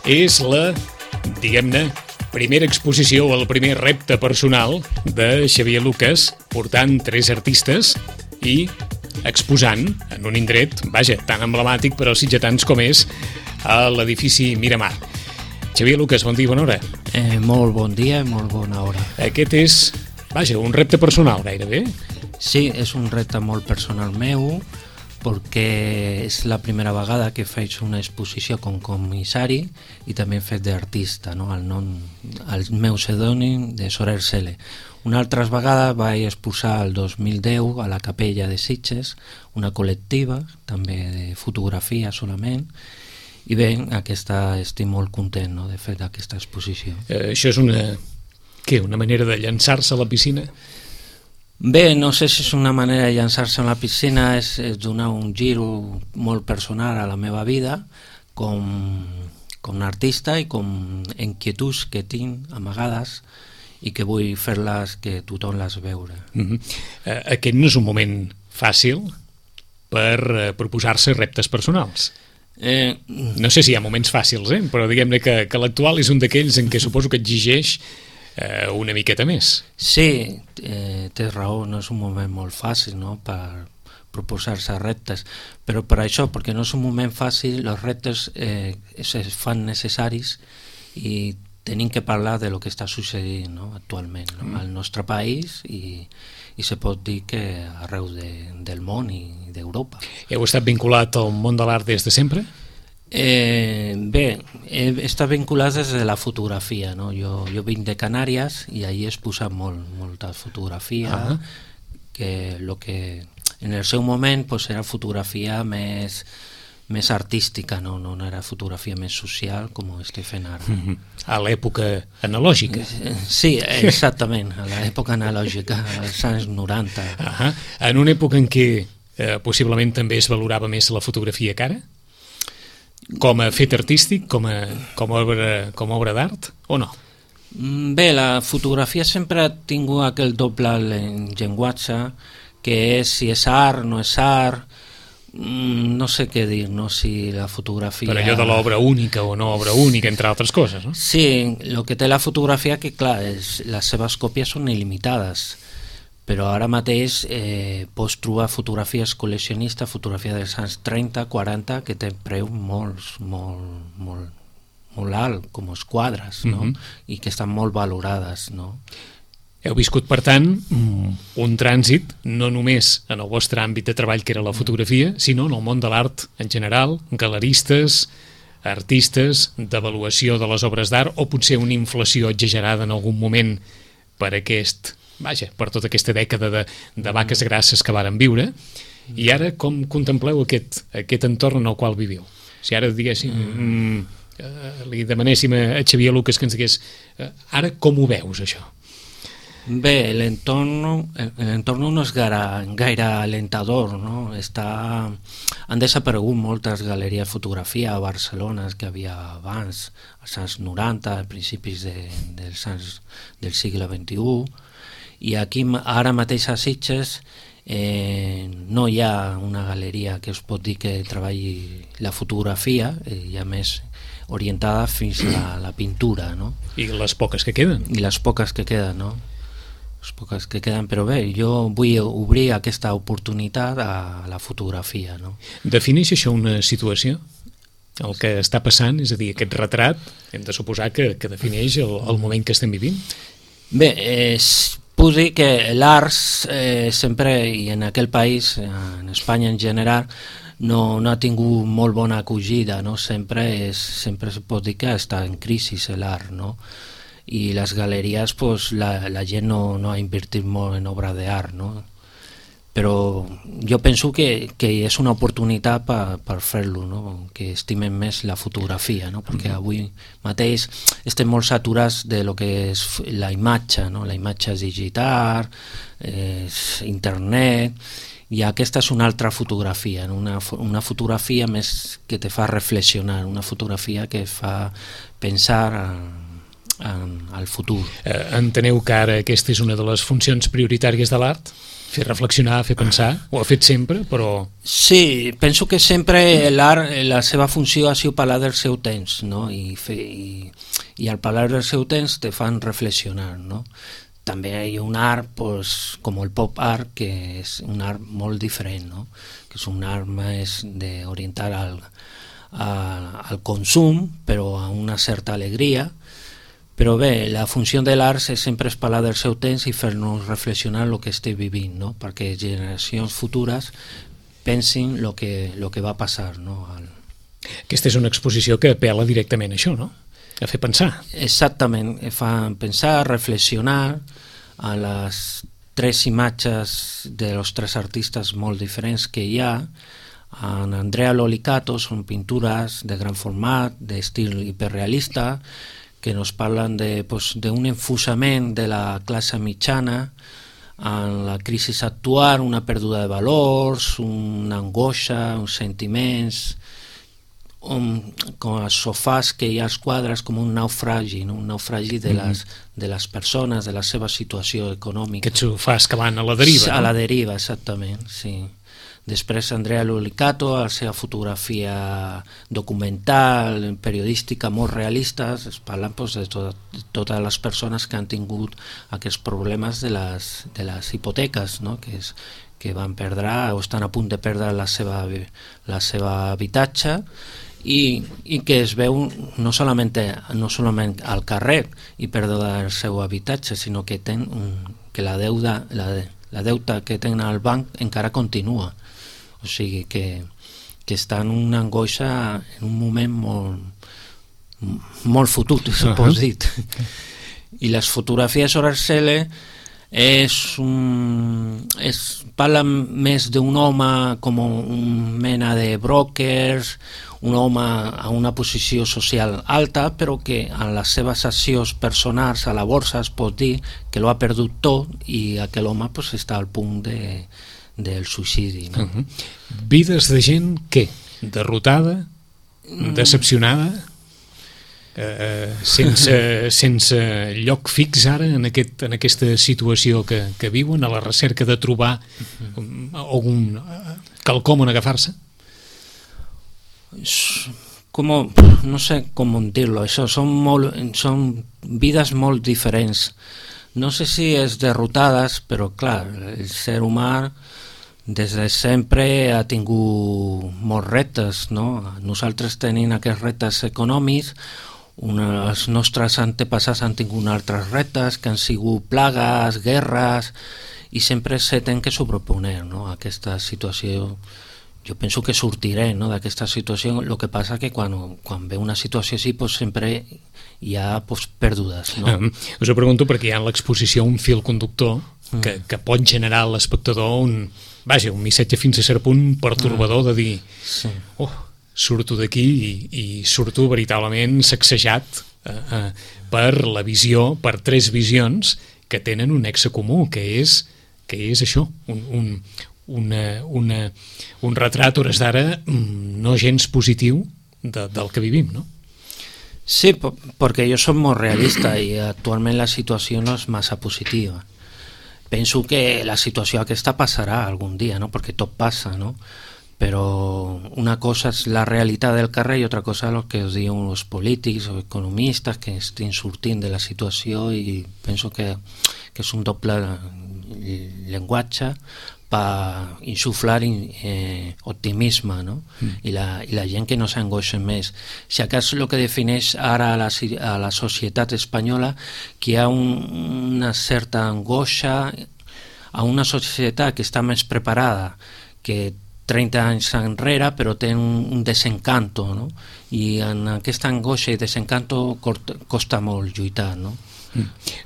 És la, diguem-ne, primera exposició o el primer repte personal de Xavier Lucas, portant 3 artistes i exposant en un indret, vaja, tan emblemàtic per als sitgetans com és a l'edifici Miramar. Xavier Lucas, bon dia, bona hora. Molt bon dia i molt bona hora. Aquest és, vaja, un repte personal gairebé. Sí, és un repte molt personal meu, perquè és la primera vegada que faig una exposició com comissari i també he fet d'artista, no? El meu pseudònim de Soler Cele. Una altra vegada vaig exposar el 2010 a la Capella de Sitges, una col·lectiva, també de fotografia solament, i bé, estic molt content, no?, de fer aquesta exposició. Això és una manera de llançar-se a la piscina? Bé, no sé si és una manera de llançar-se a la piscina, és donar un gir molt personal a la meva vida com a artista i com inquietuds que tinc amagades i que vull fer-les que tothom les veure. Aquest no és un moment fàcil per proposar-se reptes personals. No sé si hi ha moments fàcils, però diguem-ne que l'actual és un d'aquells en què suposo que exigeix una miqueta més. Sí, tens raó, no és un moment molt fàcil, no?, per proposar-se reptes, però per això, perquè no és un moment fàcil, els reptes es fan necessaris i tenim que parlar de lo que està succeint, no?, actualment, no?, al nostre país i se pot dir que arreu del món i d'Europa. Heu estat vinculat al món de l'art des de sempre? Bé, he estat vinculat des de la fotografia, no? Jo vinc de Canàries i allí he exposat molta fotografia, que en el seu moment era fotografia més artística, no era fotografia més social com estic fent ara. A l'època analògica? Sí, exactament, a l'època analògica, als anys 90. En una època en què possiblement també es valorava més la fotografia que ara? Com a fet artístic, com a obra d'art, o no? Bé, la fotografia sempre ha tingut aquell doble llenguatge, que és si és art, no és art, no sé què dir, no? Si la fotografia... Per allò de l'obra única o no obra única, entre altres coses, no? Sí, el que té la fotografia que, clar, les seves còpies són il·limitades, però ara mateix pots trobar fotografies col·leccionistes, fotografies dels anys 30, 40, que té preu molt alt, com els quadres, no? I que estan molt valorades, no? Heu viscut, per tant, un trànsit no només en el vostre àmbit de treball, que era la fotografia, sinó en el món de l'art en general, galeristes, artistes, d'avaluació de les obres d'art, o potser una inflació exagerada en algun moment per per tota aquesta dècada de vaques grasses que varen viure. I ara com contempleu aquest entorn en el qual viviu? Si ara diguéssim, li demanéssim a Xavier Lucas que ens digués ara com ho veus, això? Bé, l'entorn no és gaire alentador, no? Han desaparegut moltes galeries de fotografia a Barcelona que havia abans, als anys 90, a principis del segle XXI, i aquí ara mateix a Sitges no hi ha una galeria que es pot dir que treballi la fotografia, ja més orientada fins a la pintura, no? I les poques que queden. I les poques que queden, no? Les poques que queden, però bé, jo vull obrir aquesta oportunitat a la fotografia, no? Defineix això una situació? El que està passant, és a dir, aquest retrat, hem de suposar que defineix el moment que estem vivint? Bé, puc dir que l'art sempre, i en aquell país, en Espanya en general, no ha tingut molt bona acollida, no? Sempre es pot dir que està en crisi l'art, no? I les galeries, la gent no ha invertit molt en obra d'art, no? Però jo penso que és una oportunitat per fer-lo, no? Que estimen més la fotografia, no? Perquè avui mateix estem molt saturats de lo que és la imatge, no? La imatge digital, internet, i aquesta és una altra fotografia, no? Una fotografia més que te fa reflexionar, una fotografia que fa pensar al futur. Enteneu que ara aquesta és una de les funcions prioritàries de l'art? Fer reflexionar, fer pensar, ho ha fet sempre, però... Sí, penso que sempre l'art, la seva funció ha sigut parlar del seu temps, no? I al parlar del seu temps te fan reflexionar, no? També hi ha un art, pues, com el pop art, que és un art molt diferent, no? Que és un art més d'orientar al consum, però a una certa alegria. Però bé, la funció de l'art sempre és parlar del seu temps i fer-nos reflexionar el que estem vivint, no? Perquè generacions futures pensin el que va passar, no? Aquesta és una exposició que apela directament a això, no? A fer pensar. Exactament, fa pensar, reflexionar a les tres imatges dels tres artistes molt diferents que hi ha. En Andrea Lolicato són pintures de gran format, d'estil hiperrealista, que nos parlen d'un enfusament de la classe mitjana en la crisi actual, una pèrdua de valors, una angoixa, uns sentiments, com els sofàs que hi ha als quadres, com un naufragi, no? Un naufragi de les persones, de la seva situació econòmica. Aquests sofàs que van a la deriva, a la deriva, exactament, sí. Després Andrea Lolicato, la seva fotografia documental, periodística, molt realista, es parlen de totes les persones que han tingut aquests problemes de les hipoteques, no? Que van perdre o estan a punt de perdre la seva habitatge i que es veu no solament al carrer i perdre el seu habitatge, sinó que la deuta que tenen al banc encara continua. O sigui que està en una angoixa en un moment molt fotut, s'ho dit. I les fotografies sobre el cel parla més d'un home com un mena de brokers, un home a una posició social alta, però que en les seves accions personals a la borsa es pot dir que l'ha perdut tot i aquell home està al punt del suïcidi, no? Vides de gent, què? Derrotada? Decepcionada? Sense lloc fix ara en aquesta situació que viuen, a la recerca de trobar quelcom on agafar-se? No sé com dir-lo, això són vides molt diferents. No sé si és derrotades, però clar, el ser humà des de sempre ha tingut molts reptes, no? Nosaltres tenim aquests reptes econòmics, els nostres antepassats han tingut altres reptes que han sigut plagues, guerres, i sempre se tenen que sobreponer, no? Aquesta situació. Jo penso que sortiré, no, d'aquesta situació. El que passa que quan ve una situació així sempre hi ha pèrdues, no? Us ho pregunto perquè hi ha en l'exposició un fil conductor que pot generar a l'espectador un missatge fins a cert punt pertorbador de dir surto d'aquí i surto veritablement sacsejat per la visió, per tres visions que tenen un nexe comú, que és això, un retrat hores d'ara no gens positiu del que vivim, no? Sí, perquè jo soc molt realista i actualment la situació no és massa positiva. Penso que la situació aquesta passarà algun dia, no? Perquè tot passa, no? Però una cosa és la realitat del carrer i altra cosa és el que us diuen els polítics o economistes que estan sortint de la situació, i penso que és un doble llenguatge per insuflar optimisme, no? I la gent que no s'angoixa més. Si acaso el que defineix ara a la societat espanyola, que hi ha una certa angoixa a una societat que està més preparada que 30 anys enrere, però té un desencanto, no? I en aquesta angoixa i desencanto costa molt lluitar, no?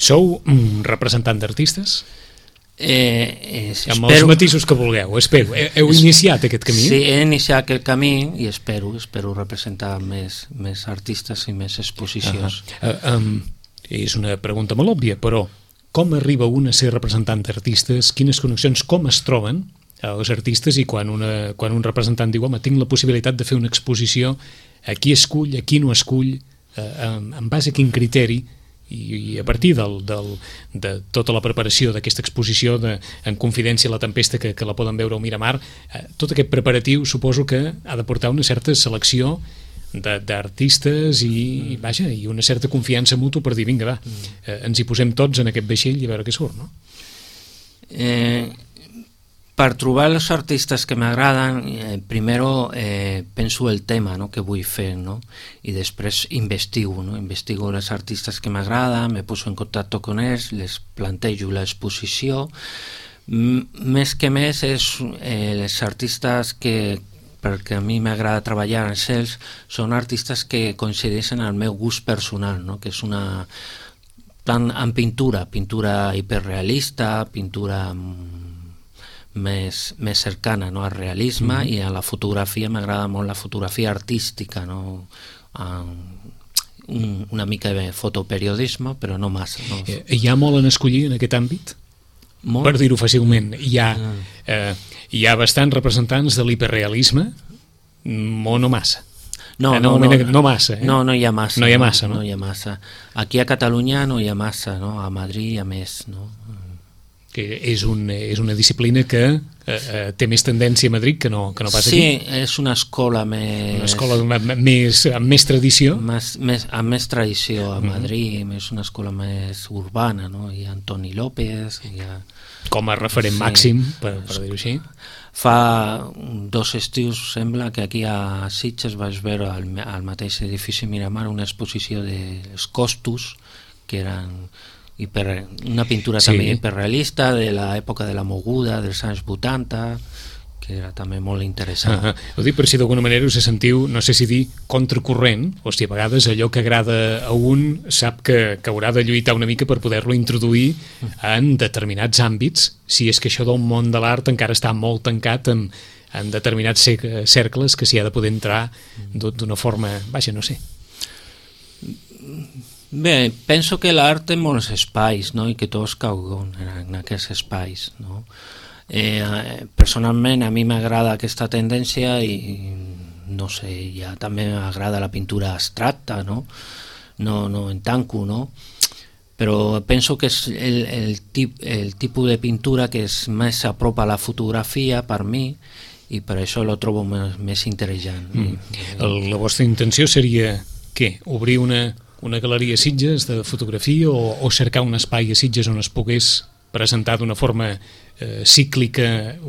Sou representant d'artistes? Amb els Espero... matisos que vulgueu, espero. Heu iniciat aquest camí? Sí, he iniciat aquest camí i espero representar més artistes i més exposicions. És una pregunta molt òbvia, però com arriba un a ser representant d'artistes? Quines connexions, com es troben els artistes? I quan un representant diu, home, tinc la possibilitat de fer una exposició, a qui escull, a qui no escull, en base a quin criteri i a partir de tota la preparació d'aquesta exposició en confidència la tempesta que la poden veure al Miramar, tot aquest preparatiu suposo que ha de portar una certa selecció d'artistes i una certa confiança mútua per dir, vinga, va, ens hi posem tots en aquest vaixell i a veure què surt, no? Per trobar els artistes que m'agraden, primero penso el tema, ¿no?, que vull fer, ¿no?, i després investigo, ¿no? Investigo els artistes que m'agraden, me poso en contacte con ells, les plantejo l'exposició. Més que més és els artistes que, perquè a mi m'agrada treballar amb ells, són artistes que coincideixen al meu gust personal, no?, que és una... tant en pintura hiperrealista, pintura més cercana, no?, al realisme, i a la fotografia m'agrada molt la fotografia artística, no?, una mica de fotoperiodisme, però no massa, no? Hi ha molt en escollir en aquest àmbit? Molt? Per dir-ho fàcilment, hi ha bastants representants de l'hiperrealisme, o no massa? No massa, eh? No hi ha massa. No hi ha massa, no? No hi ha massa. Aquí a Catalunya no hi ha massa, no? A Madrid hi ha més, no? Que és una disciplina que té més tendència a Madrid que no pas aquí. Sí, és una escola més... Una escola amb més tradició. Amb més tradició a Madrid, és una escola més urbana, no? Hi ha Antoni López... Com a referent màxim, per dir-ho així. Fa 2 estius, sembla, que aquí a Sitges vaig veure al mateix edifici Miramar una exposició dels Costos, que eren... una pintura també hiperrealista de l'època de la moguda dels anys 80, que era també molt interessant. Ho dic per si d'alguna manera us sentiu, no sé si dir contracorrent, o si a vegades allò que agrada a un sap que haurà de lluitar una mica per poder-lo introduir en determinats àmbits, si és que això del món de l'art encara està molt tancat en determinats cercles que s'hi ha de poder entrar d'una forma, no sé. Bé, penso que l'art té molts espais, no?, i que tots cauen en aquests espais, no? Personalment a mi m'agrada aquesta tendència i no sé, ja també m'agrada la pintura abstracta, no en tanco, no? Però penso que és el tipus de pintura que és més a prop a la fotografia per mi, i per això lo trobo més interessant. La vostra intenció seria què? Obrir una galeria a Sitges de fotografia o cercar un espai a Sitges on es pogués presentar d'una forma cíclica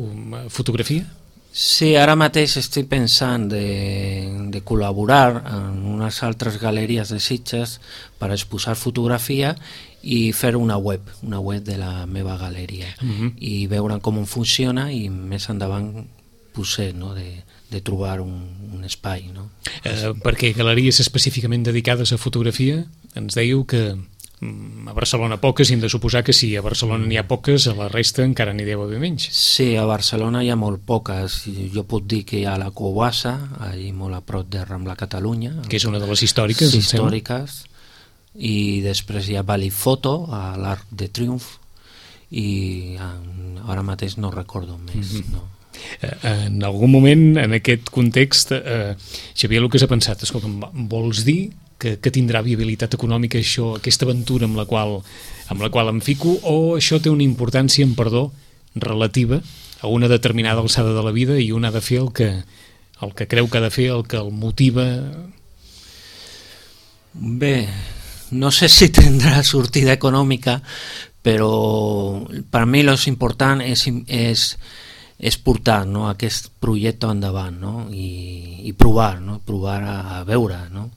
fotografia? Sí, ara mateix estic pensant de col·laborar en unes altres galeries de Sitges per exposar fotografia i fer una web de la meva galeria i veure com funciona i més endavant potser, no?, de trobar un espai, no? Perquè galeries específicament dedicades a fotografia, ens dèieu que a Barcelona poques, i hem de suposar que si a Barcelona n'hi ha poques, a la resta encara n'hi deu haver menys. Sí, a Barcelona hi ha molt poques. Jo puc dir que hi ha la Cobassa, allà molt a prop de Rambla Catalunya. Que és una de les històriques, sí, històriques. I després hi ha Valifoto, a l'Arc de Triomf, i ara mateix no recordo més, no? En algun moment, en aquest context, Xavier Lucas ha pensat, escolta'm, vols dir que tindrà viabilitat econòmica això, aquesta aventura amb la qual em fico, o això té una importància, en perdó, relativa a una determinada alçada de la vida i un ha de fer el que creu que ha de fer, el que el motiva? Bé, no sé si tindrà sortida econòmica, però per mi lo important és portar, no?, aquest projecte endavant, no?, i provar, no?, provar a veure, no?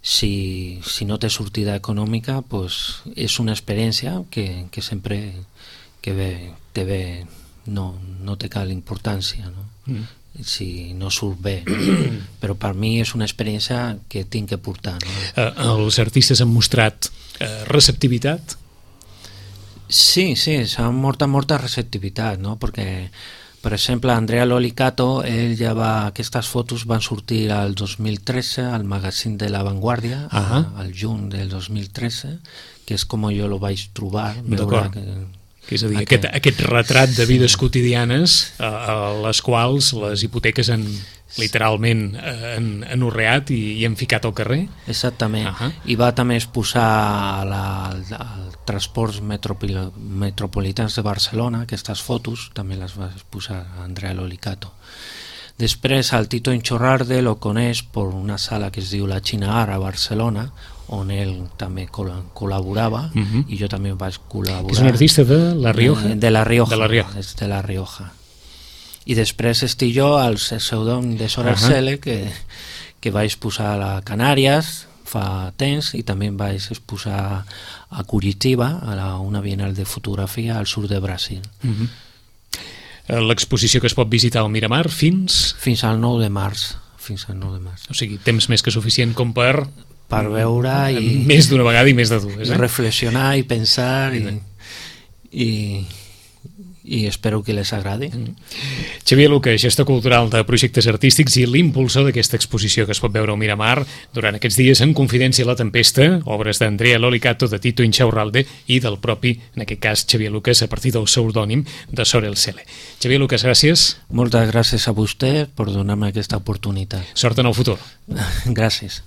Si no té sortida econòmica, pues és una experiència que sempre que té bé, no té cap importància, no? Si no surt bé, però per mi és una experiència que tinc que portar, no? Els artistes han mostrat receptivitat? Sí, s'ha molta receptivitat, no?, perquè per exemple, Andrea Lolicato, aquestes fotos van sortir al 2013 al magazín de La Vanguardia, al juny del 2013, que és com jo lo vaig trobar. D'acord. És a dir, aquest retrat de vides quotidianes a les quals les hipoteques han literalment enorreat i enficat al carrer. Exactament. I va també exposar als transports metropolitans de Barcelona, aquestes fotos també les va exposar Andrea Lolicato. Després el Tito Inchorralde lo coneix per una sala que es diu La China Art a Barcelona, on ell també col·laborava i jo també vaig col·laborar. És un artista de La Rioja? De La Rioja. És de La Rioja. I després estic jo al pseudònim de Sorel Cele, que vaig exposar a Canàries fa temps i també vaig exposar a Curitiba, a una bienal de fotografia al sud de Brasil. L'exposició que es pot visitar al Miramar fins al 9 de març. Fins al 9 de març. O sigui, temps més que suficient com per veure i... Més d'una vegada i més de dues. Reflexionar i pensar i espero que les agradi. Xavier Luca, gestor cultural de projectes artístics i l'impulsor d'aquesta exposició que es pot veure al Miramar durant aquests dies en Confidència La Tempesta, obres d'Andrea Lolicato, de Tito Inchorralde i del propi, en aquest cas, Xavier Lucas, a partir del pseudònim de Sorel Cele. Xavier Lucas, gràcies. Moltes gràcies a vostè per donar-me aquesta oportunitat. Sort en el futur. Gràcies.